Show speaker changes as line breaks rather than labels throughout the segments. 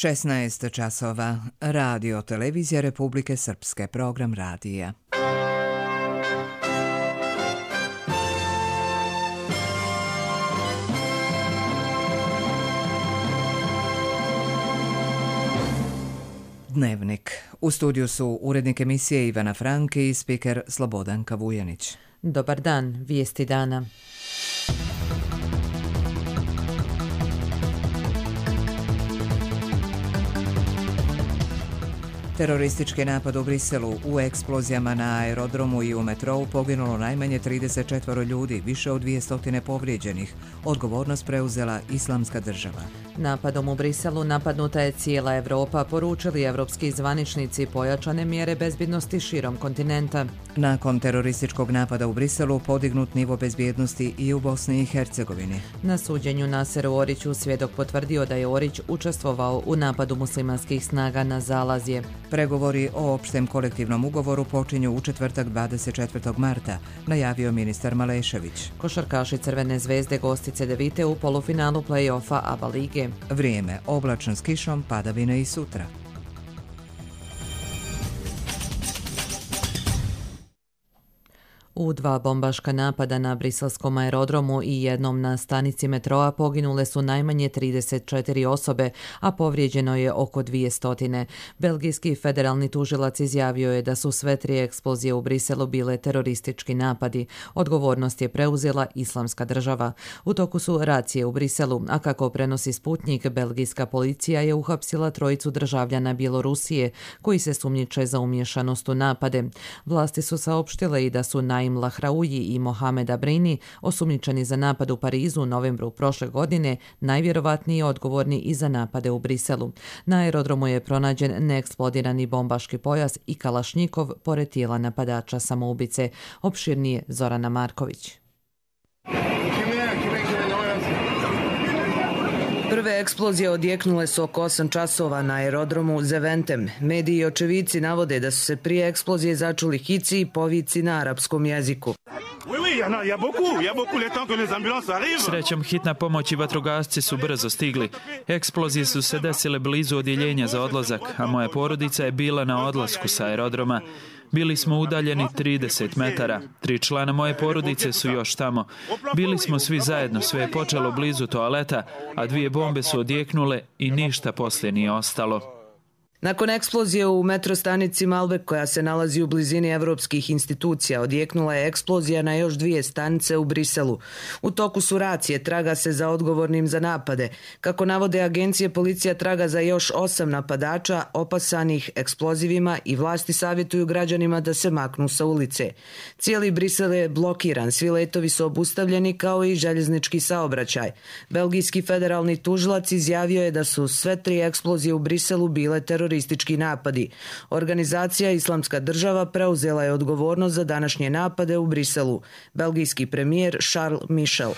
16 časova. Radio Televizija Republike Srpske. Program radija. Dnevnik. U studiju su urednik emisije Ivana Franke i spiker Slobodanka Vujanić.
Dobar dan, vijesti dana.
Teroristički napad u Briselu. U eksplozijama na aerodromu i u metrou poginulo najmanje 34 ljudi, više od 200 povrijeđenih. Odgovornost preuzela Islamska država.
Napadom u Briselu napadnuta je cijela Evropa, poručili evropski zvaničnici, pojačane mjere bezbjednosti širom kontinenta.
Nakon terorističkog napada u Briselu podignut nivo bezbjednosti i u Bosni i Hercegovini.
Na suđenju Naseru Oriću svjedok potvrdio da je Orić učestvovao u napadu muslimanskih snaga na Zalazje.
Pregovori o opštem kolektivnom ugovoru počinju u četvrtak 24. marta, najavio ministar Malešević.
Košarkaši Crvene zvezde gosti CDVite u polufinalu play-offa ABA lige.
Vrijeme oblačno s kišom, padavine i sutra.
U 2 bombaška napada na briselskom aerodromu i jednom na stanici metroa poginule su najmanje 34 osobe, a povrijeđeno je oko 200. Belgijski federalni tužilac izjavio je da su sve 3 eksplozije u Briselu bile teroristički napadi. Odgovornost je preuzela Islamska država. U toku su racije u Briselu, a kako prenosi Sputnik, belgijska policija je uhapsila 3 državljana Bjelorusije koji se sumnjiče za umješanost u napade. Vlasti su saopštile i da su Naim Lahraouji i Mohamed Abrini, osumnjičeni za napad u Parizu u novembru prošle godine, najvjerovatnije odgovorni i za napade u Briselu. Na aerodromu je pronađen neeksplodirani bombaški pojas i kalašnjikov pored tijela napadača samoubice. Opširnije Zorana Marković. Prve eksplozije odjeknule su oko 8 časova na aerodromu Zeventem. Mediji i očevici navode da su se prije eksplozije začuli hici i povici na arapskom jeziku.
Srećom, hitna pomoć i vatrogasci su brzo stigli. Eksplozije su se desile blizu odjeljenja za odlazak, a moja porodica je bila na odlasku sa aerodroma. Bili smo udaljeni 30 metara. 3 člana moje porodice su još tamo. Bili smo svi zajedno, sve je počelo blizu toaleta, a 2 bombe su odjeknule i ništa poslije nije ostalo.
Nakon eksplozije u metrostanici Malbek, koja se nalazi u blizini evropskih institucija, odjeknula je eksplozija na još 2 stanice u Briselu. U toku su racije, traga se za odgovornim za napade. Kako navode agencije, policija traga za još 8 napadača opasanih eksplozivima i vlasti savjetuju građanima da se maknu sa ulice. Cijeli Brisel je blokiran, svi letovi su obustavljeni kao i željeznički saobraćaj. Belgijski federalni tužilac izjavio je da su sve 3 eksplozije u Briselu bile teroristički napadi. Organizacija Islamska država preuzela je odgovornost za današnje napade u Briselu. Belgijski premijer Charles Michel.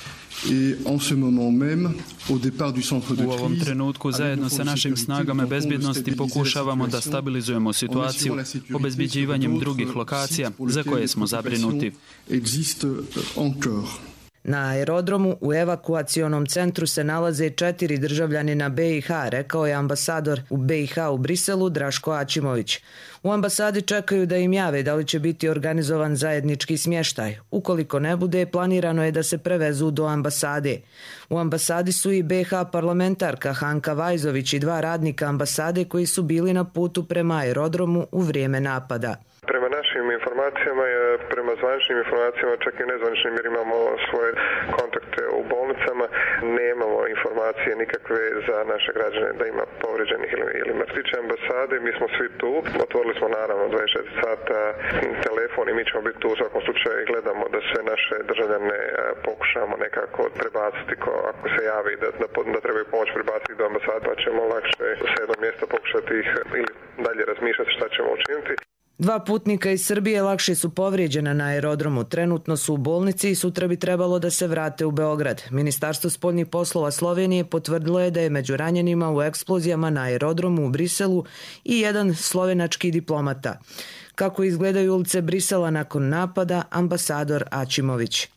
U ovom trenutku zajedno sa našim snagama bezbjednosti pokušavamo da stabilizujemo situaciju obezbjeđivanjem drugih lokacija za koje smo zabrinuti.
Na aerodromu u evakuacionom centru se nalaze 4 državljanina BiH, rekao je ambasador u BiH u Briselu Draško Ačimović. U ambasadi čekaju da im jave da li će biti organizovan zajednički smještaj. Ukoliko ne bude, planirano je da se prevezu do ambasade. U ambasadi su i BiH parlamentarka Hanka Vajzović i 2 radnika ambasade koji su bili na putu prema aerodromu u vrijeme napada.
Prema našim informacijama, prema zvaničnim informacijama, čak i nezvaničnim jer imamo svoje kontakte u bolnicama, nemamo informacije nikakve za naše građane da ima povrijeđenih ili mrtvića ambasade. Mi smo svi tu, otvorili smo naravno 24 sata telefon i mi ćemo biti tu u svakom slučaju i gledamo da sve naše državljane pokušamo nekako prebaciti ako se javi da trebaju pomoć prebaciti do ambasade, pa ćemo lakše sa jednog mjesta pokušati ih ili dalje razmišljati šta ćemo učiniti.
2 putnika iz Srbije lakše su povrijeđena na aerodromu. Trenutno su u bolnici i sutra bi trebalo da se vrate u Beograd. Ministarstvo spoljnih poslova Slovenije potvrdilo je da je među ranjenima u eksplozijama na aerodromu u Briselu i jedan slovenački diplomata. Kako izgledaju ulice Brisela nakon napada, ambasador Ačimović.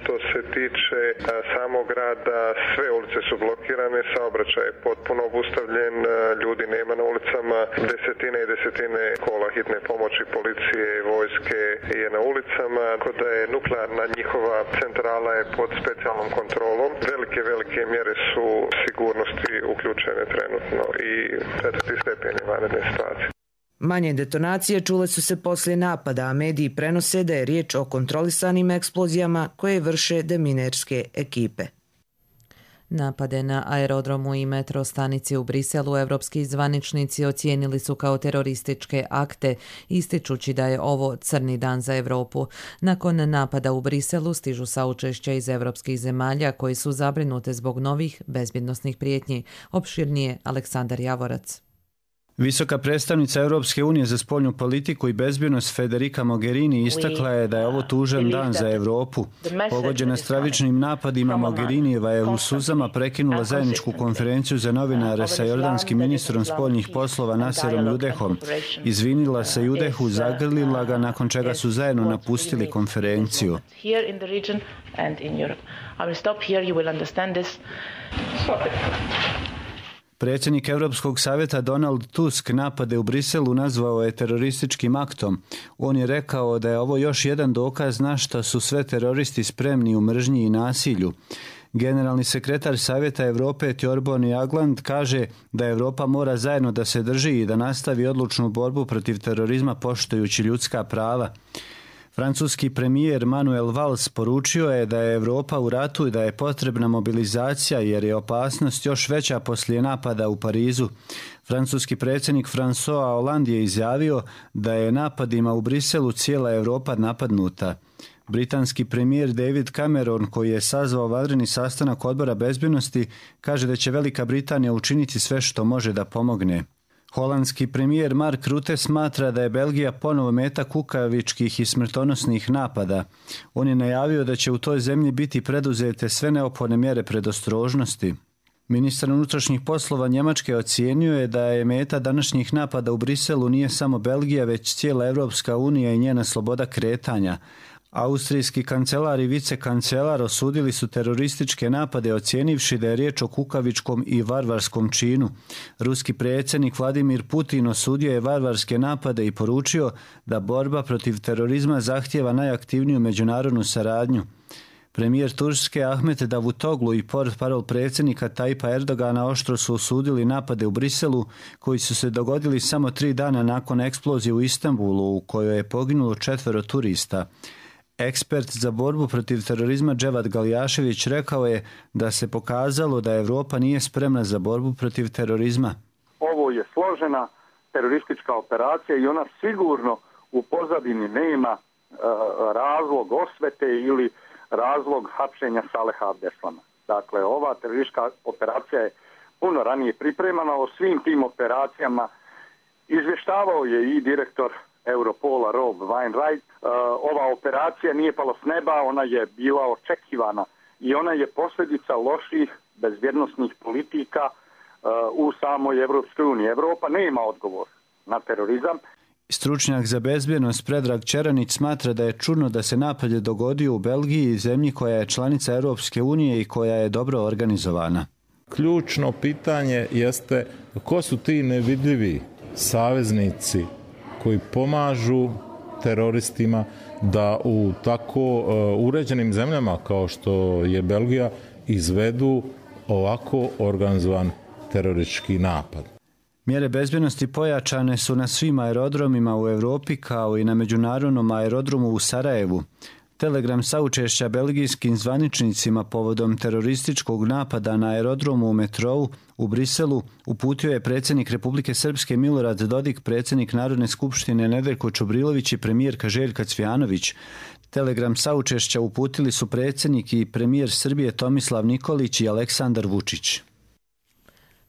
To se tiče samog grada. Sve ulice su blokirane, saobraćaj je potpuno obustavljen, ljudi nema na ulicama, desetine i desetine kola hitne pomoći, policije i vojske je na ulicama, tako da je nuklearna njihova centrala je pod specijalnom kontrolom. Velike mjere su sigurnosti uključene trenutno i 4. stepen je vanredne situacije.
Manje detonacije čule su se poslije napada, a mediji prenose da je riječ o kontrolisanim eksplozijama koje vrše deminerske ekipe.
Napade na aerodromu i metro stanici u Briselu evropski zvaničnici ocijenili su kao terorističke akte, ističući da je ovo crni dan za Europu. Nakon napada u Briselu stižu saučešća iz evropskih zemalja koji su zabrinute zbog novih bezbjednosnih prijetnji. Opširnije Aleksandar Javorac.
Visoka predstavnica Europske unije za spoljnu politiku i bezbjednost Federica Mogherini istakla je da je ovo tužan dan za Europu. Pogođena stravičnim napadima, Mogherinijeva je u suzama prekinula zajedničku konferenciju za novinare sa jordanskim ministrom spoljnih poslova Naserom Judehom. Izvinila se Judehu, zagrlila ga, nakon čega su zajedno napustili konferenciju. Predsjednik Europskog savjeta Donald Tusk napade u Briselu nazvao je terorističkim aktom. On je rekao da je ovo još jedan dokaz na što su sve teroristi spremni u mržnji i nasilju. Generalni sekretar Savjeta Europe Thorbjørn Jagland kaže da Europa mora zajedno da se drži i da nastavi odlučnu borbu protiv terorizma poštujući ljudska prava. Francuski premijer Manuel Valls poručio je da je Europa u ratu i da je potrebna mobilizacija jer je opasnost još veća poslije napada u Parizu. Francuski predsjednik François Hollande je izjavio da je napadima u Briselu cijela Europa napadnuta. Britanski premijer David Cameron, koji je sazvao vanredni sastanak Odbora bezbjednosti, kaže da će Velika Britanija učiniti sve što može da pomogne. Holandski premijer Mark Rutte smatra da je Belgija ponovo meta kukavičkih i smrtonosnih napada. On je najavio da će u toj zemlji biti preduzete sve neophodne mjere predostrožnosti. Ministar unutrašnjih poslova Njemačke ocijenio je da je meta današnjih napada u Briselu nije samo Belgija, već cijela Europska unija i njena sloboda kretanja. Austrijski kancelar i vicekancelar osudili su terorističke napade ocijenivši da je riječ o kukavičkom i varvarskom činu. Ruski predsjednik Vladimir Putin osudio je varvarske napade i poručio da borba protiv terorizma zahtijeva najaktivniju međunarodnu saradnju. Premijer Turske Ahmet Davutoglu i portparol predsjednika Tajpa Erdogana oštro su osudili napade u Briselu koji su se dogodili samo 3 dana nakon eksplozije u Istanbulu u kojoj je poginulo 4 turista. Ekspert za borbu protiv terorizma Dževad Galjašević rekao je da se pokazalo da Europa nije spremna za borbu protiv terorizma.
Ovo je složena teroristička operacija i ona sigurno u pozadini nema razlog osvete ili razlog hapšenja Saleha Abdeslama. Dakle, ova teroristička operacija je puno ranije pripremana. O svim tim operacijama izvještavao je i direktor Europola Rob Wainwright. Ova operacija nije pala s neba, ona je bila očekivana i ona je posljedica loših bezbjednosnih politika u samoj Evropskoj uniji. Evropa nema odgovor na terorizam.
Stručnjak za bezbjednost Predrag Čeranić smatra da je čudno da se napad dogodio u Belgiji, zemlji koja je članica Europske unije i koja je dobro organizovana.
Ključno pitanje jeste ko su ti nevidljivi saveznici koji pomažu teroristima da u tako uređenim zemljama kao što je Belgija izvedu ovako organizovan teroristički napad.
Mjere bezbjednosti pojačane su na svim aerodromima u Europi kao i na međunarodnom aerodromu u Sarajevu. Telegram saučešća belgijskim zvaničnicima povodom terorističkog napada na aerodromu u metrou u Briselu uputio je predsjednik Republike Srpske Milorad Dodik, predsjednik Narodne skupštine Nedeljko Čubrilović i premijerka Željka Cvijanović. Telegram saučešća uputili su predsjednik i premijer Srbije Tomislav Nikolić i Aleksandar Vučić.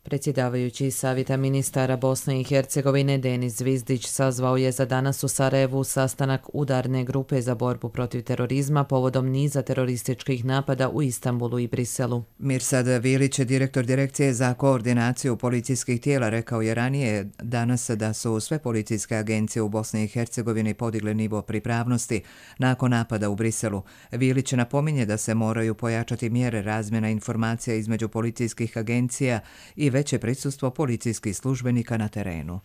Predsjedavajući Savjeta ministara Bosne i Hercegovine Denis Zvizdić sazvao je za danas u Sarajevu sastanak udarne grupe za borbu protiv terorizma povodom niza terorističkih napada u Istanbulu i Briselu.
Mirsad Vilić, direktor Direkcije za koordinaciju policijskih tijela, rekao je ranije danas da su sve policijske agencije u Bosni i Hercegovini podigle nivo pripravnosti nakon napada u Briselu. Vilić napominje da se moraju pojačati mjere razmjena informacija između policijskih agencija i veće prisustvo policijskih službenika na terenu.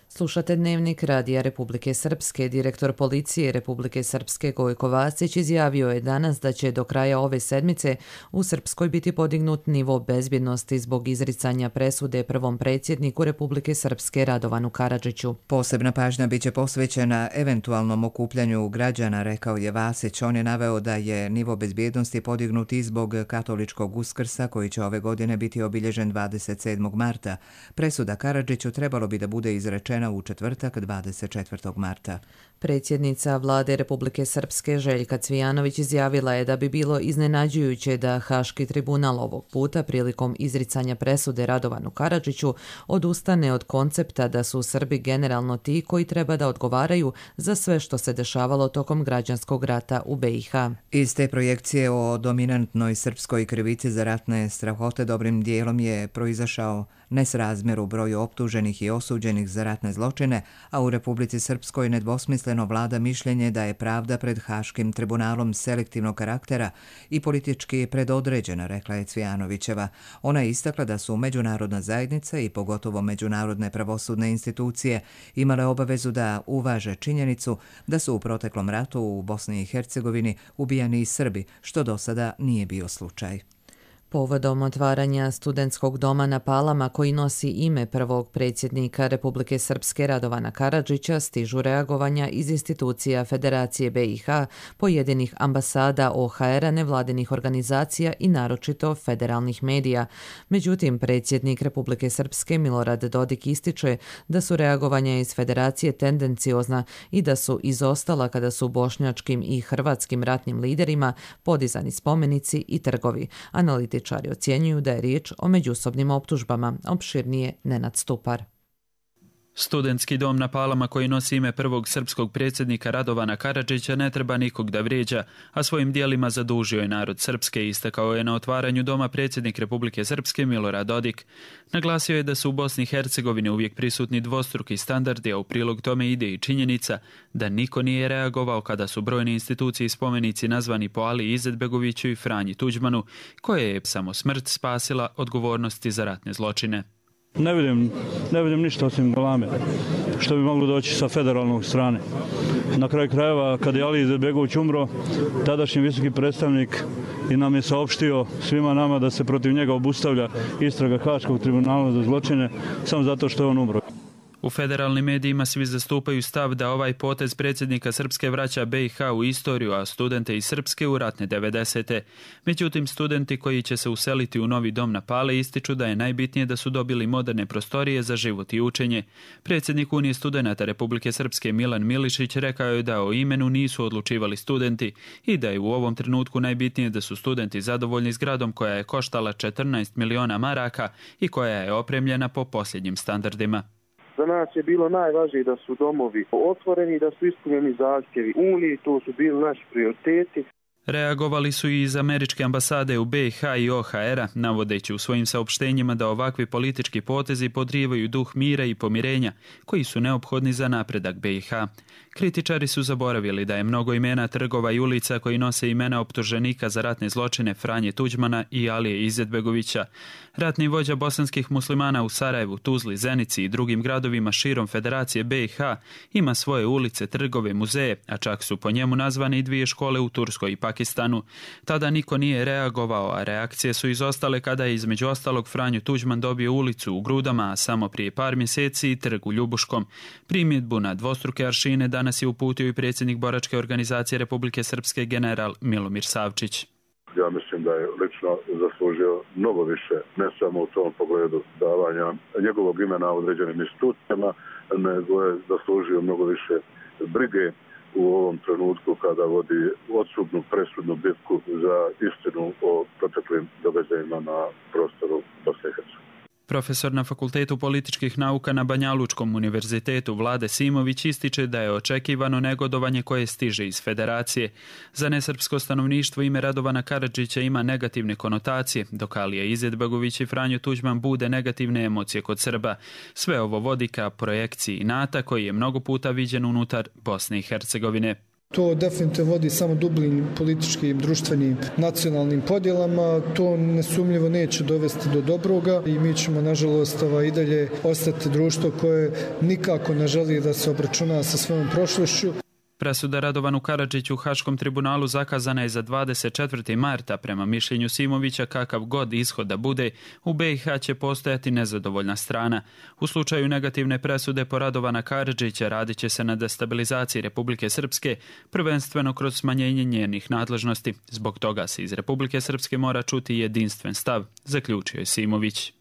Slušate Dnevnik Radija Republike Srpske. Direktor policije Republike Srpske Gojko Vasić izjavio je danas da će do kraja ove sedmice u Srpskoj biti podignut nivo bezbjednosti zbog izricanja presude prvom predsjedniku Republike Srpske Radovanu Karadžiću.
Posebna pažnja biće posvećena eventualnom okupljanju građana, rekao je Vasić. On je naveo da je nivo bezbjednosti podignut i zbog katoličkog Uskrsa koji će ove godine biti obilježen 27. marta. Presuda Karadžiću trebalo bi da bude izrečena u četvrtak 24. marta.
Predsjednica vlade Republike Srpske Željka Cvijanović izjavila je da bi bilo iznenađujuće da Haški tribunal ovog puta prilikom izricanja presude Radovanu Karadžiću odustane od koncepta da su Srbi generalno ti koji treba da odgovaraju za sve što se dešavalo tokom građanskog rata u BiH.
Iz te projekcije o dominantnoj srpskoj krivici za ratne strahote dobrim dijelom je proizašao nesrazmjer u broju optuženih i osuđenih za ratne zločine, a u Republici Srpskoj nedvosmisleno vlada mišljenje da je pravda pred Haškim tribunalom selektivnog karaktera i politički predodređena, rekla je Cvijanovićeva. Ona je istakla da su međunarodna zajednica i pogotovo međunarodne pravosudne institucije imale obavezu da uvaže činjenicu da su u proteklom ratu u Bosni i Hercegovini ubijani i Srbi, što do sada nije bio slučaj.
Povodom otvaranja studentskog doma na Palama koji nosi ime prvog predsjednika Republike Srpske Radovana Karadžića stižu reagovanja iz institucija Federacije BiH, pojedinih ambasada OHR-a, nevladinih organizacija i naročito federalnih medija. Međutim, predsjednik Republike Srpske Milorad Dodik ističe da su reagovanja iz Federacije tendenciozna i da su izostala kada su bošnjačkim i hrvatskim ratnim liderima podizani spomenici i trgovi. Analitičari ocjenjuju da je riječ o međusobnim optužbama, opširnije Nenad Stupar.
Studentski dom na Palama koji nosi ime prvog srpskog predsjednika Radovana Karadžića ne treba nikog da vrijeđa, a svojim dijelima zadužio je narod Srpske, istakao je na otvaranju doma predsjednik Republike Srpske Milorad Dodik. Naglasio je da su u Bosni i Hercegovini uvijek prisutni dvostruki standardi, a u prilog tome ide i činjenica da niko nije reagovao kada su brojne institucije i spomenici nazvani po Aliji Izetbegoviću i Franji Tuđmanu, koje je samo smrt spasila odgovornosti za ratne zločine.
Ne vidim ništa osim galame, što bi moglo doći sa federalnog strane. Na kraju krajeva, kad je Ali Izetbegović umro, tadašnji visoki predstavnik i nam je saopštio svima nama da se protiv njega obustavlja istraga Haškog tribunala za zločine samo zato što je on umro.
U federalnim medijima svi zastupaju stav da ovaj potez predsjednika Srpske vraća BiH u istoriju, a studente iz Srpske u ratne 90. Međutim, studenti koji će se useliti u novi dom na Pale ističu da je najbitnije da su dobili moderne prostorije za život i učenje. Predsjednik Unije studenata Republike Srpske Milan Milišić rekao je da o imenu nisu odlučivali studenti i da je u ovom trenutku najbitnije da su studenti zadovoljni zgradom koja je koštala 14 miliona maraka i koja je opremljena po posljednjim standardima.
Za nas je bilo najvažnije da su domovi otvoreni, da su ispunjeni zahtjevi Uniji, to su bili naši prioriteti.
Reagovali su i iz američke ambasade u BiH i OHR-a, navodeći u svojim saopštenjima da ovakvi politički potezi podrivaju duh mira i pomirenja, koji su neophodni za napredak BiH. Kritičari su zaboravili da je mnogo imena trgova i ulica koji nose imena optuženika za ratne zločine Franje Tuđmana i Alije Izetbegovića. Ratni vođa bosanskih muslimana u Sarajevu, Tuzli, Zenici i drugim gradovima širom Federacije BiH ima svoje ulice, trgove, muzeje, a čak su po njemu nazvane i 2 škole u Turskoj i Pakistanu. Tada niko nije reagovao, a reakcije su izostale kada je između ostalog Franjo Tuđman dobio ulicu u Grudama, a samo prije par mjeseci i trg u Ljubuškom. Primjedbu na dvostruke aršine danas je uputio i predsjednik boračke organizacije Republike Srpske general Milomir Savčić.
Ja mislim da je lično zaslužio mnogo više, ne samo u tom pogledu davanja njegovog imena određenim institucijama, nego je zaslužio mnogo više brige u ovom trenutku kada vodi odsudnu presudnu bitku za istinu o proteklim događajima na prostoru Bosne i Hercegovine.
Profesor na Fakultetu političkih nauka na Banjalučkom univerzitetu Vlade Simović ističe da je očekivano negodovanje koje stiže iz federacije. Za nesrpsko stanovništvo ime Radovana Karadžića ima negativne konotacije, dok Alija Izetbegović i Franjo Tuđman bude negativne emocije kod Srba. Sve ovo vodi ka projekciji inata koji je mnogo puta viđen unutar Bosne i Hercegovine.
To definitivno vodi samo dubljim političkim, društvenim, nacionalnim podjelama. To nesumnjivo neće dovesti do dobroga i mi ćemo, nažalost, i dalje ostati društvo koje nikako ne želi da se obračuna sa svojom prošlošću.
Presuda Radovanu Karadžiću u Haškom tribunalu zakazana je za 24. marta. Prema mišljenju Simovića, kakav god ishod da bude, u BiH će postojati nezadovoljna strana. U slučaju negativne presude po Radovana Karadžića radit će se na destabilizaciji Republike Srpske, prvenstveno kroz smanjenje njenih nadležnosti. Zbog toga se iz Republike Srpske mora čuti jedinstven stav, zaključio je Simović.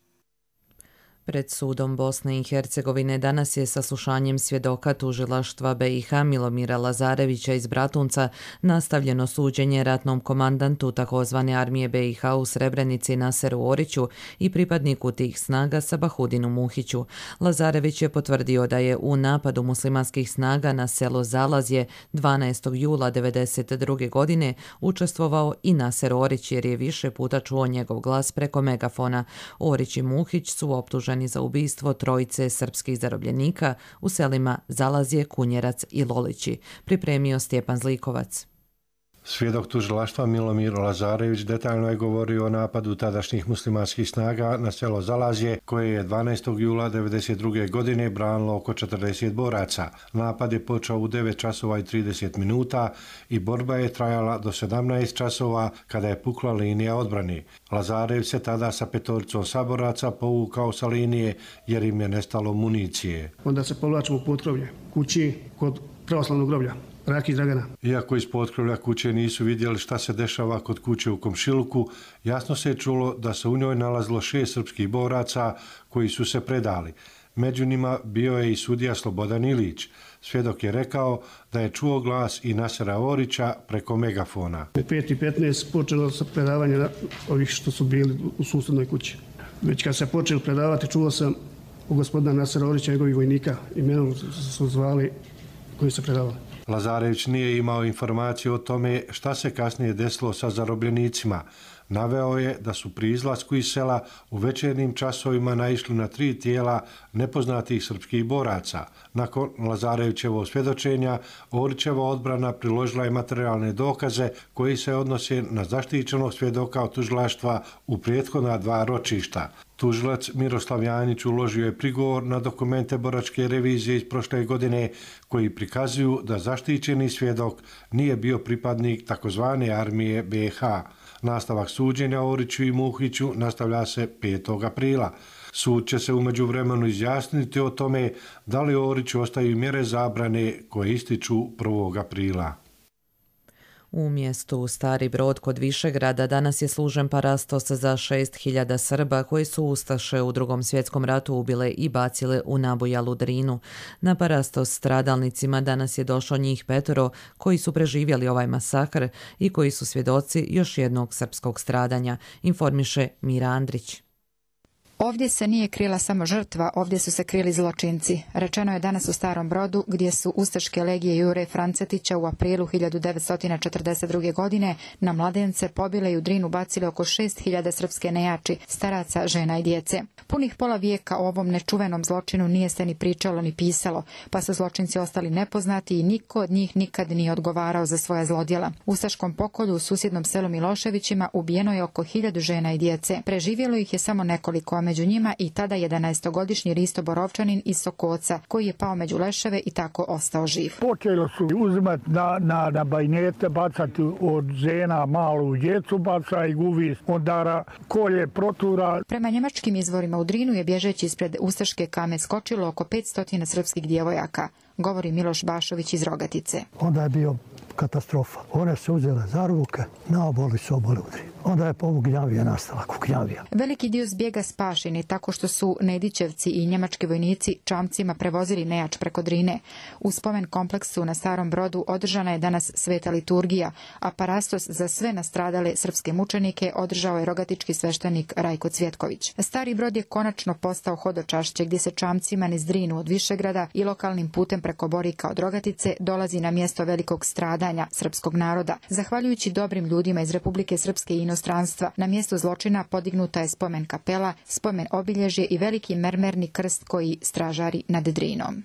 Pred sudom Bosne i Hercegovine danas je saslušanjem svjedoka tužilaštva BiH Milomira Lazarevića iz Bratunca nastavljeno suđenje ratnom komandantu takozvane armije BiH u Srebrenici Naseru Oriću i pripadniku tih snaga Sabahudinu Muhiću. Lazarević je potvrdio da je u napadu muslimanskih snaga na selo Zalazje 12. jula 1992. godine učestvovao i Naser Orić jer je više puta čuo njegov glas preko megafona. Orić i Muhić su optuženi za ubistvo trojice srpskih zarobljenika u selima Zalazje, Kunjerac i Lolići, pripremio Stjepan Zlikovac.
Svjedok tužilaštva Milomir Lazarević detaljno je govorio o napadu tadašnjih muslimanskih snaga na selo Zalazje, koje je 12. jula 1992. godine branilo oko 40 boraca. Napad je počeo u 9 časova i 30 minuta i borba je trajala do 17 časova kada je pukla linija odbrane. Lazarević se tada sa 5 saboraca povukao sa linije jer im je nestalo municije.
Onda se povlačimo u potkrovlje kući kod pravoslavnog groblja. Raki Dragana.
Iako iz potkrovlja kuće nisu vidjeli šta se dešava kod kuće u komšiluku, jasno se je čulo da se u njoj nalazilo 6 srpskih boraca koji su se predali. Među njima bio je i sudija Slobodan Ilić. Svjedok je rekao da je čuo glas i Nasera Orića preko megafona.
5:15 počelo se predavanje ovih što su bili u susjednoj kući. Već kad se počeli predavati, čuo sam u gospodina Nasera Orića, njegovih vojnika, imenom su zvali koji se predavali.
Lazarević nije imao informaciju o tome šta se kasnije desilo sa zarobljenicima. Naveo je da su pri izlasku iz sela u večernjim časovima naišli na 3 tijela nepoznatih srpskih boraca. Nakon Lazarevićevog svjedočenja, Orićeva odbrana priložila je materijalne dokaze koji se odnose na zaštićenog svjedoka od tužilaštva u prethodna 2 ročišta. Tužilac Miroslav Janić uložio je prigovor na dokumente boračke revizije iz prošle godine koji prikazuju da zaštićeni svjedok nije bio pripadnik takozvane armije BiH. Nastavak suđenja Oriću i Muhiću nastavlja se 5. aprila. Sud će se u međuvremenu izjasniti o tome da li Oriću ostaju mjere zabrane koje ističu 1. aprila.
U mjestu Stari Brod kod Višegrada danas je služen parastos za 6.000 Srba koji su ustaše u Drugom svjetskom ratu ubile i bacile u nabujalu Drinu. Na parastos stradalnicima danas je došlo njih 5 koji su preživjeli ovaj masakr i koji su svjedoci još jednog srpskog stradanja, informiše Mira Andrić.
Ovdje se nije krila samo žrtva, ovdje su se krili zločinci. Rečeno je danas u Starom Brodu, gdje su ustaške legije Jure Francetića u aprilu 1942. godine na mladence pobile i u Drinu bacile oko 6.000 srpske nejači, staraca, žena i djece. Punih pola vijeka o ovom nečuvenom zločinu nije se ni pričalo ni pisalo, pa su zločinci ostali nepoznati i niko od njih nikad nije odgovarao za svoja zlodjela. U ustaškom pokolju u susjednom selu Miloševićima ubijeno je oko 1000 žena i djece. Preživjelo ih je samo nekoliko, među njima i tada 11-godišnji Risto Borovčanin iz Sokoca, koji je pao među leševe i tako ostao živ.
Počelo su uzimati na bajnete, bacati od žena malu djecu, baca i guvi, ondara kolje, protura.
Prema njemačkim izvorima u Drinu je bježeći ispred ustaške kame skočilo oko 500 srpskih djevojaka, govori Miloš Bašović iz Rogatice.
Onda je bio katastrofa. One su uzele za ruke, naoboli su obole u Drinu. onda je povugnjavija nastala, kuknjavija.
Veliki dio zbjega spašen je tako što su Nedićevci i njemački vojnici čamcima prevozili nejač preko Drine. U spomen kompleksu na Starom Brodu održana je danas sveta liturgija, a parastos za sve nastradale srpske mučenike održao je rogatički sveštenik Rajko Cvjetković. Stari Brod je konačno postao hodočašće gdje se čamcima niz Drinu od Višegrada i lokalnim putem preko Borika od Rogatice dolazi na mjesto velikog stradanja srpskog naroda. Zahvaljujući dobrim ljudima iz Republike Srpske i inostranstva, na mjestu zločina podignuta je spomen kapela, spomen obilježje i veliki mermerni krst koji stražari nad Drinom.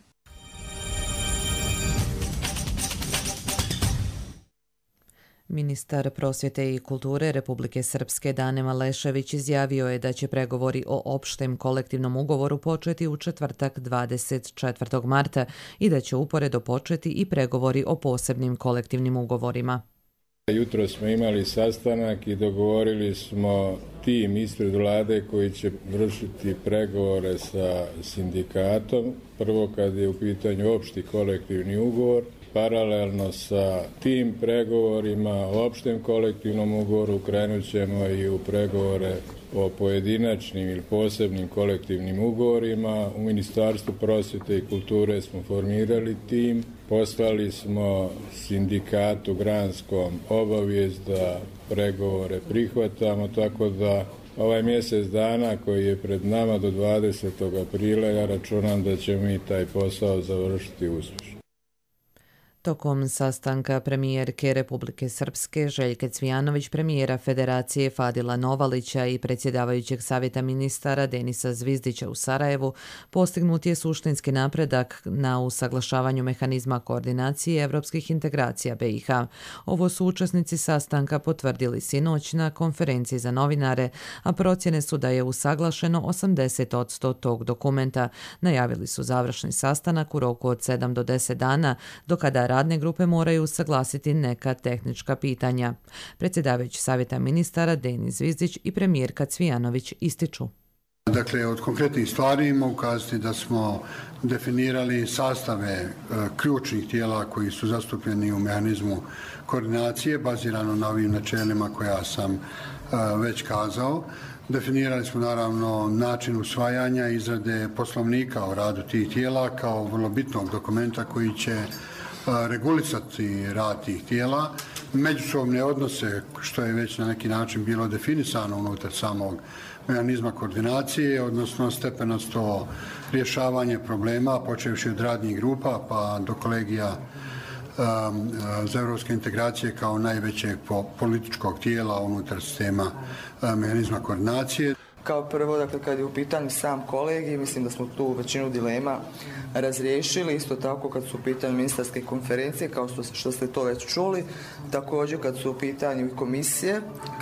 Ministar prosvjete i kulture Republike Srpske Dane Malešević izjavio je da će pregovori o opštem kolektivnom ugovoru početi u četvrtak 24. marta i da će uporedo početi i pregovori o posebnim kolektivnim ugovorima.
Jutro smo imali sastanak i dogovorili smo tim ispred vlade koji će vršiti pregovore sa sindikatom. Prvo kad je u pitanju opšti kolektivni ugovor, paralelno sa tim pregovorima o opštem kolektivnom ugovoru krenut ćemo i u pregovore o pojedinačnim ili posebnim kolektivnim ugovorima. U Ministarstvu prosvjete i kulture smo formirali tim, poslali smo sindikatu granskom obavijest da pregovore prihvatamo, tako da ovaj mjesec dana koji je pred nama do 20. aprila ja računam da ćemo mi taj posao završiti uspješno.
Tokom sastanka premijerke Republike Srpske Željke Cvijanović, premijera Federacije Fadila Novalića i predsjedavajućeg savjeta ministara Denisa Zvizdića u Sarajevu postignut je suštinski napredak na usaglašavanju mehanizma koordinacije evropskih integracija BiH. Ovo su učesnici sastanka potvrdili sinoć na konferenciji za novinare, a procjene su da je usaglašeno 80% tog dokumenta. Najavili su završni sastanak u roku od 7 do 10 dana, do kada radne grupe moraju usaglasiti neka tehnička pitanja. Predsjedavajući savjeta ministara Denis Zvizdić i premijerka Cvijanović ističu.
Dakle, od konkretnih stvari ima ukazati da smo definirali sastave ključnih tijela koji su zastupljeni u mehanizmu koordinacije, bazirano na ovim načelima koja sam već kazao. Definirali smo naravno način usvajanja i izrade poslovnika o radu tih tijela kao vrlo bitnog dokumenta koji će regulisati rad tih tijela, međusobne odnose, što je već na neki način bilo definisano unutar samog mehanizma koordinacije, odnosno stepenasto rješavanje problema, počevši od radnih grupa pa do kolegija za evropske integracije kao najvećeg političkog tijela unutar sistema mehanizma koordinacije.
Kao prvo, dakle, kad je u pitanju sam kolegij, mislim da smo tu većinu dilema razriješili. Isto tako kad su u pitanju ministarske konferencije, kao što ste to već čuli. Također kad su u pitanju komisije,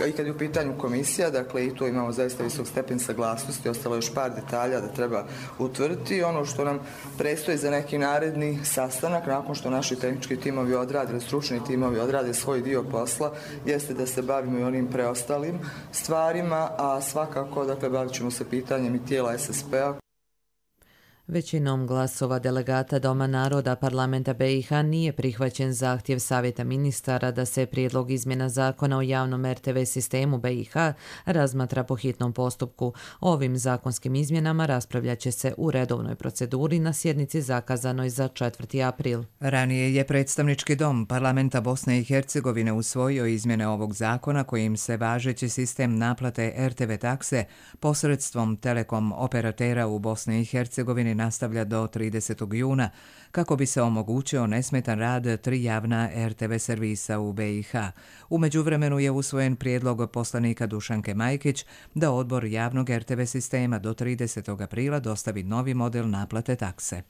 i kad je u pitanju komisija, dakle i tu imamo zaista visok stepen saglasnosti, ostalo još par detalja da treba utvrditi. Ono što nam predstoji za neki naredni sastanak, nakon što naši tehnički timovi odrade, stručni timovi odrade svoj dio posla, jeste da se bavimo i onim preostalim stvarima, a svakako, dakle, bavit ćemo se pitanjem i tijela SSP-a.
Većinom glasova delegata Doma naroda parlamenta BiH nije prihvaćen zahtjev savjeta ministara da se prijedlog izmjena zakona o javnom RTV sistemu BiH razmatra po hitnom postupku. Ovim zakonskim izmjenama raspravljat će se u redovnoj proceduri na sjednici zakazanoj za 4. april.
Ranije je predstavnički dom parlamenta Bosne i Hercegovine usvojio izmjene ovog zakona kojim se važeći sistem naplate RTV takse posredstvom telekom operatera u Bosni i Hercegovini nastavlja do 30. juna, kako bi se omogućio nesmetan rad 3 javna RTV servisa u BiH. U međuvremenu je usvojen prijedlog poslanika Dušanke Majkić da odbor javnog RTV sistema do 30. aprila dostavi novi model naplate takse.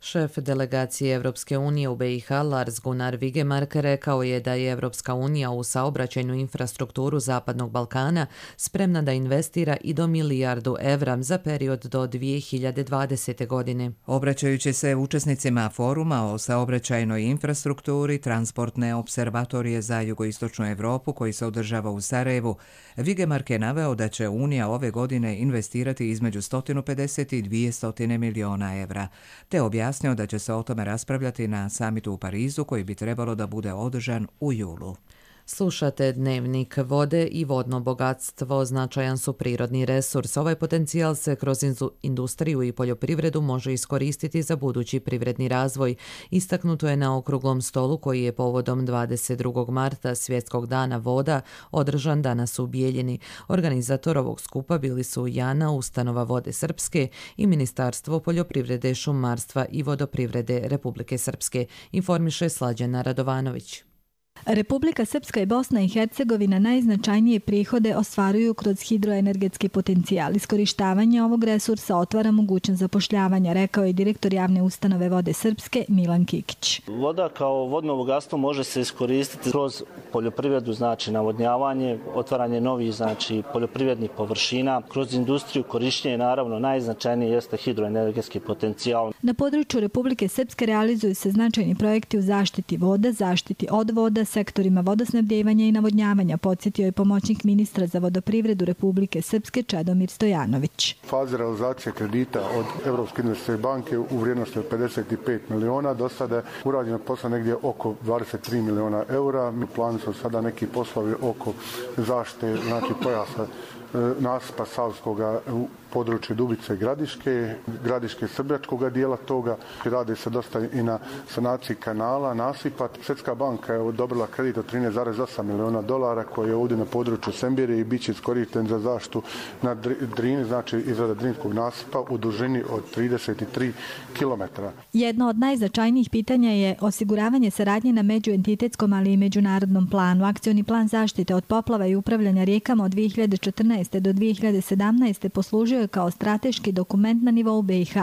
Šef delegacije Evropske unije u BiH Lars Gunnar Vigemark rekao je da je Evropska unija u saobraćajnu infrastrukturu Zapadnog Balkana spremna da investira i do milijardu evra za period do 2020. godine.
Obraćajući se učesnicima foruma o saobraćajnoj infrastrukturi Transportne observatorije za jugoistočnu Evropu koji se održava u Sarajevu, Vigemark je naveo da će Unija ove godine investirati između 150 i 200 miliona evra, te objasnio da će se o tome raspravljati na samitu u Parizu koji bi trebalo da bude održan u julu.
Slušate Dnevnik. Vode i vodno bogatstvo značajan su prirodni resurs. Ovaj potencijal se kroz industriju i poljoprivredu može iskoristiti za budući privredni razvoj. Istaknuto je na okruglom stolu koji je povodom 22. marta Svjetskog dana voda održan danas u Bijeljini. Organizator ovog skupa bili su JANA, Ustanova Vode Srpske i Ministarstvo poljoprivrede, šumarstva i vodoprivrede Republike Srpske, informiše Slađana Radovanović.
Republika Srpska i Bosna i Hercegovina najznačajnije prihode ostvaruju kroz hidroenergetski potencijal. Iskorištavanje ovog resursa otvara mogućnost zapošljavanja, rekao je direktor javne ustanove Vode Srpske Milan Kikić.
Voda kao vodno bogatstvo može se iskoristiti kroz poljoprivredu, znači navodnjavanje, otvaranje novih poljoprivrednih površina, kroz industriju korištenje, naravno najznačajnije jeste hidroenergetski potencijal.
Na području Republike Srpske realizuju se značajni projekti u zaštiti voda, zaštiti od voda, sektorima vodosnabdjevanja i navodnjavanja, podsjetio je pomoćnik ministra za vodoprivredu Republike Srpske Čedomir Stojanović.
Faze realizacije kredita od Europske investicijske banke u vrijednosti od 55 miliona, do sada je urađeno posla negdje oko 23 miliona eura. Mi planu su sada neki poslovi oko zaštite, znači pojasa nasipa Savskoga u području Dubice Gradiške Srbljačkoga dijela toga. Radi se dosta i na sanaciji kanala, nasipa. Svjetska banka je odobrila kredit od 13,8 miliona dolara koji je ovdje na području Sembire i bit će iskorišten za zaštitu na Drini, znači izrada Drinskog nasipa u dužini od 33 km.
Jedno od najznačajnijih pitanja je osiguravanje saradnje na međuentitetskom, ali i međunarodnom planu. Akcioni plan zaštite od poplava i upravljanja rijekama od 2014. do 2017. poslužio kao strateški dokument na nivou BiH.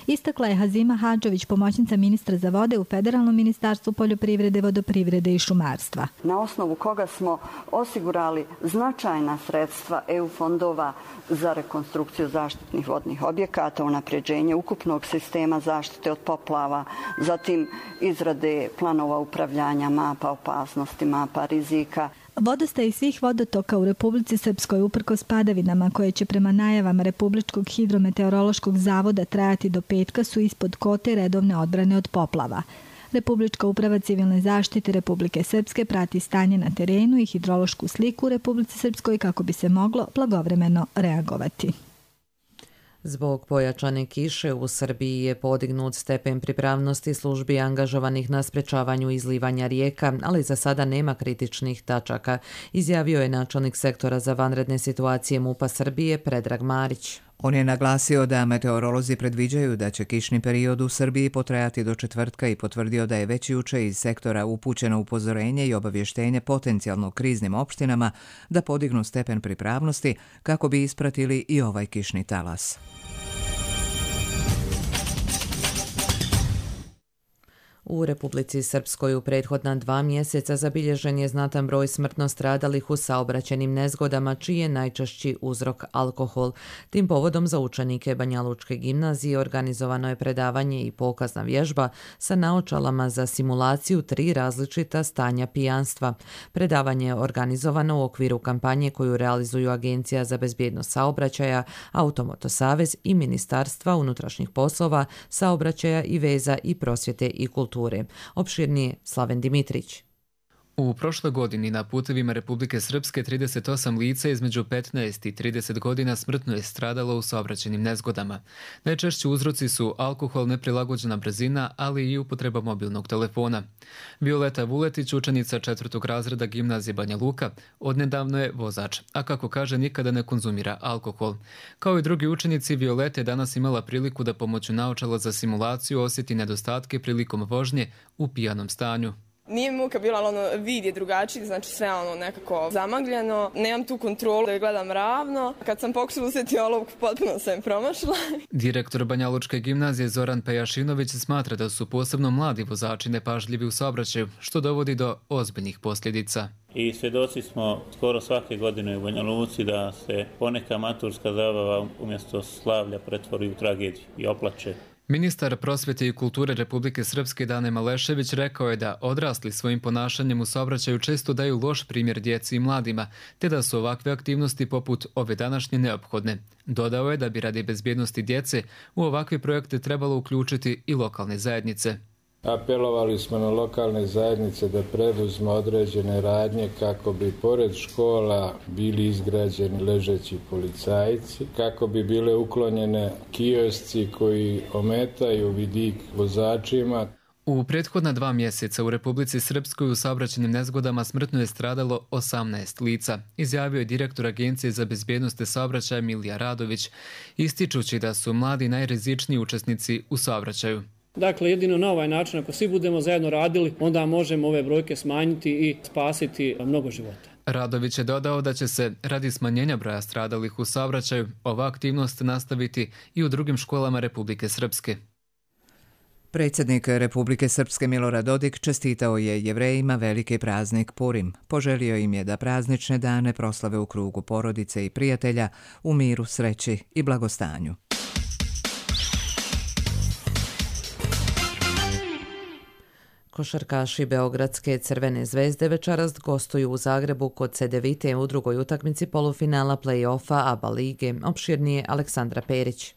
Istakla je Hazima Hadžović, pomoćnica ministra za vode u Federalnom ministarstvu poljoprivrede, vodoprivrede i šumarstva.
Na osnovu koga smo osigurali značajna sredstva EU fondova za rekonstrukciju zaštitnih vodnih objekata, unapređenje ukupnog sistema zaštite od poplava, zatim izrade planova upravljanja, mapa opasnosti, mapa rizika.
Vodostaj svih vodotoka u Republici Srpskoj uprkos padavinama koje će prema najavama Republičkog hidrometeorološkog zavoda trajati do petka su ispod kote redovne odbrane od poplava. Republička uprava civilne zaštite Republike Srpske prati stanje na terenu i hidrološku sliku u Republici Srpskoj kako bi se moglo blagovremeno reagovati.
Zbog pojačane kiše u Srbiji je podignut stepen pripravnosti službi angažovanih na sprečavanju izlivanja rijeka, ali za sada nema kritičnih tačaka, izjavio je načelnik sektora za vanredne situacije MUP-a Srbije Predrag Marić.
On je naglasio da meteorolozi predviđaju da će kišni period u Srbiji potrajati do četvrtka i potvrdio da je već juče iz sektora upućeno upozorenje i obavještenje potencijalno kriznim opštinama da podignu stepen pripravnosti kako bi ispratili i ovaj kišni talas.
U Republici Srpskoj u prethodna 2 mjeseca zabilježen je znatan broj smrtno stradalih u saobraćajnim nezgodama, čiji je najčešći uzrok alkohol. Tim povodom za učenike Banjalučke gimnazije organizovano je predavanje i pokazna vježba sa naočalama za simulaciju 3 različita stanja pijanstva. Predavanje je organizovano u okviru kampanje koju realizuju Agencija za bezbjednost saobraćaja, Automoto Savez i Ministarstva unutrašnjih poslova, saobraćaja i veza i prosvjete i kulture. Opširnije Slaven Dimitrić.
U prošloj godini na putevima Republike Srpske 38 lica između 15 i 30 godina smrtno je stradalo u saobraćajnim nezgodama. Najčešći uzroci su alkohol, neprilagođena brzina, ali i upotreba mobilnog telefona. Violeta Vuletić, učenica 4. razreda gimnazije Banja Luka, odnedavno je vozač, a kako kaže nikada ne konzumira alkohol. Kao i drugi učenici, Violeta je danas imala priliku da pomoću naočala za simulaciju osjeti nedostatke prilikom vožnje u pijanom stanju.
Nije mi muka bila, ali vid je drugačiji, znači sve nekako zamagljeno. Nemam tu kontrolu da gledam ravno. Kad sam pokušala usjeti olovku, potpuno sam promašila.
Direktor Banjalučke gimnazije Zoran Pejašinović smatra da su posebno mladi vozači nepažljivi u saobraćaju, što dovodi do ozbiljnih posljedica.
I svjedoci smo skoro svake godine u Banja Luci da se poneka maturska zabava umjesto slavlja pretvori u tragediju i oplače.
Ministar prosvjete i kulture Republike Srpske Dane Malešević rekao je da odrasli svojim ponašanjem u saobraćaju često daju loš primjer djeci i mladima, te da su ovakve aktivnosti poput ove današnje neophodne. Dodao je da bi radi bezbjednosti djece u ovakve projekte trebalo uključiti i lokalne zajednice.
Apelovali smo na lokalne zajednice da preduzme određene radnje kako bi pored škola bili izgrađeni ležeći policajci, kako bi bile uklonjene kiosci koji ometaju vidik vozačima.
U prethodna 2 mjeseca u Republici Srpskoj u saobraćajnim nezgodama smrtno je stradalo 18 lica, izjavio je direktor Agencije za bezbjednost saobraćaja Milija Radović, ističući da su mladi najrizičniji učesnici u saobraćaju.
Dakle, jedino na ovaj način, ako svi budemo zajedno radili, onda možemo ove brojke smanjiti i spasiti mnogo života.
Radović je dodao da će se, radi smanjenja broja stradalih u saobraćaju, ova aktivnost nastaviti i u drugim školama Republike Srpske.
Predsjednik Republike Srpske Milorad Dodik čestitao je Jevrejima veliki praznik Purim. Poželio im je da praznične dane proslave u krugu porodice i prijatelja, u miru, sreći i blagostanju.
Košarkaši Beogradske Crvene zvezde večeras gostuju u Zagrebu kod Cedevite u drugoj utakmici polufinala play-offa ABA lige. Opširnije Aleksandra Perić.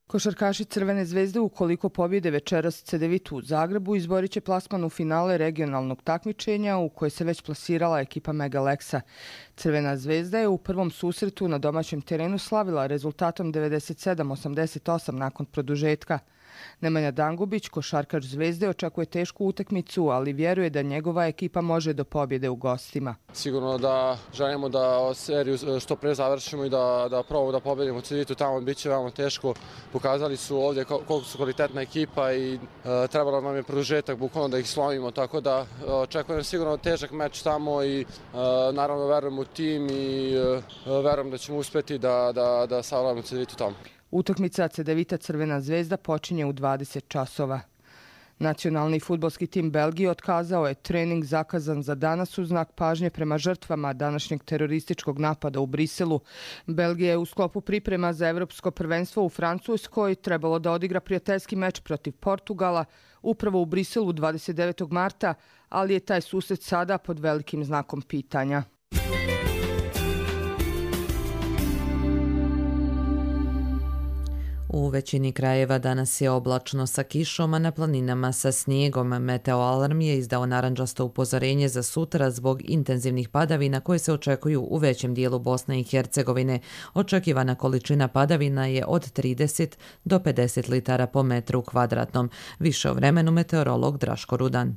Košarkaši Crvene zvezde ukoliko pobjede večeras Cedevitu u Zagrebu izborit će plasman u finale regionalnog takmičenja u koje se već plasirala ekipa Mega Lexa. Crvena zvezda je u prvom susretu na domaćem terenu slavila rezultatom 97-88 nakon produžetka. Nemanja Dangubić, košarkaš Zvezde, očekuje tešku utakmicu, ali vjeruje da njegova ekipa može do pobjede u gostima.
Sigurno da želimo da seriju što pre završimo i da probamo da pobjedimo Cedevitu tamo, bit će veoma teško. Pokazali su ovdje koliko su kvalitetna ekipa i trebalo nam je produžetak bukvalno da ih slomimo, tako da očekujem sigurno težak meč tamo i naravno verujem u tim i verujem da ćemo uspjeti da savladamo Cedevitu tamo.
Utakmica Cedevita Crvena zvezda počinje u 20 časova. Nacionalni fudbalski tim Belgije otkazao je trening zakazan za danas u znak pažnje prema žrtvama današnjeg terorističkog napada u Briselu. Belgija je u sklopu priprema za Evropsko prvenstvo u Francuskoj trebalo da odigra prijateljski meč protiv Portugala upravo u Briselu 29. marta, ali je taj susret sada pod velikim znakom pitanja.
U većini krajeva danas je oblačno sa kišom, a na planinama sa snijegom. Meteoalarm je izdao narandžasto upozorenje za sutra zbog intenzivnih padavina koje se očekuju u većem dijelu Bosne i Hercegovine. Očekivana količina padavina je od 30 do 50 litara po metru kvadratnom. Više o vremenu meteorolog Draško Rudan.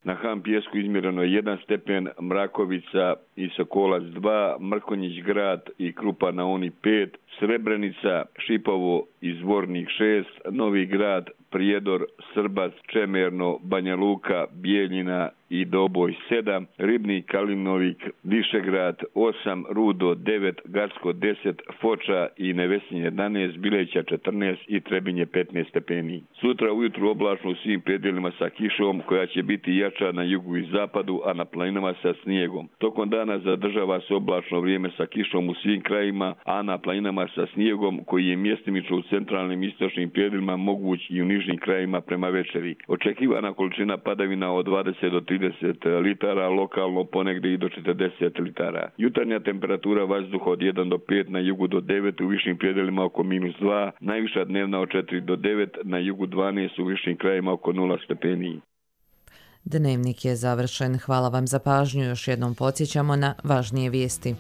Na Ham Pijesku izmjereno je 1 stepen, Mrakovica i Sokolac 2, Mrkonjić grad i Krupa na Oni 5, Srebrenica, Šipovo i Zvornik 6, Novi grad, Prijedor, Srbac, Čemerno, Banja Luka, Bijeljina i Doboj 7, Ribnik, Kalinovik, Višegrad 8, Rudo 9, Garsko 10, Foča i Nevesinje 11, Bileća 14 i Trebinje 15 stepeni. Sutra ujutru oblačno u svim predjelima sa kišom koja će biti jača na jugu i zapadu, a na planinama sa snijegom. Tokom dana zadržava se oblačno vrijeme sa kišom u svim krajima, a na planinama sa snijegom koji je mjestimično u centralnim i istočnim predjelima moguć i u nižnim krajima prema večeri. Očekivana količina padavina od 20 do 30 litara, lokalno ponegdje i do 40 litara. Jutarnja temperatura vazduha od 1 do 5, na jugu do 9, u višim predjelima oko -2, najviša dnevna od 4 do 9, na jugu 12, u višim krajima oko 0 stepeni.
Dnevnik je završen. Hvala vam za pažnju. Još jednom podsjećamo na važnije vijesti.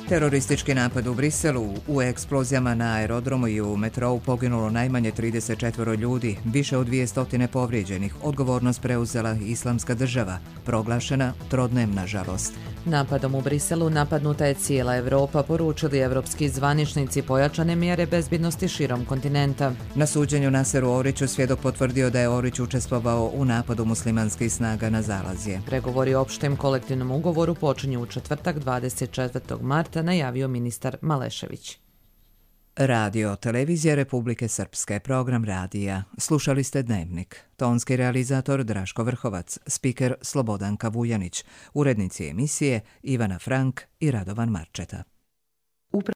Teroristički napad u Briselu, u eksplozijama na aerodromu i u metrou poginulo najmanje 34 ljudi, više od 200 povrijeđenih. Odgovornost preuzela Islamska država, proglašena trodnevna žalost.
Napadom u Briselu napadnuta je cijela Evropa, poručili evropski zvaničnici, pojačane mjere bezbjednosti širom kontinenta.
Na suđenju Naseru Oriću svjedok potvrdio da je Orić učestvovao u napadu muslimanskih snaga na Zalazje.
Pregovori o opštem kolektivnom ugovoru počinju u četvrtak 24. marta, najavio ministar Malešević.
Radio Televizija Republike Srpske, program radija. Slušali ste Dnevnik. Tonski realizator Draško Vrhovac, spiker Slobodanka Vujanić, urednici emisije Ivana Frank i Radovan Marčeta.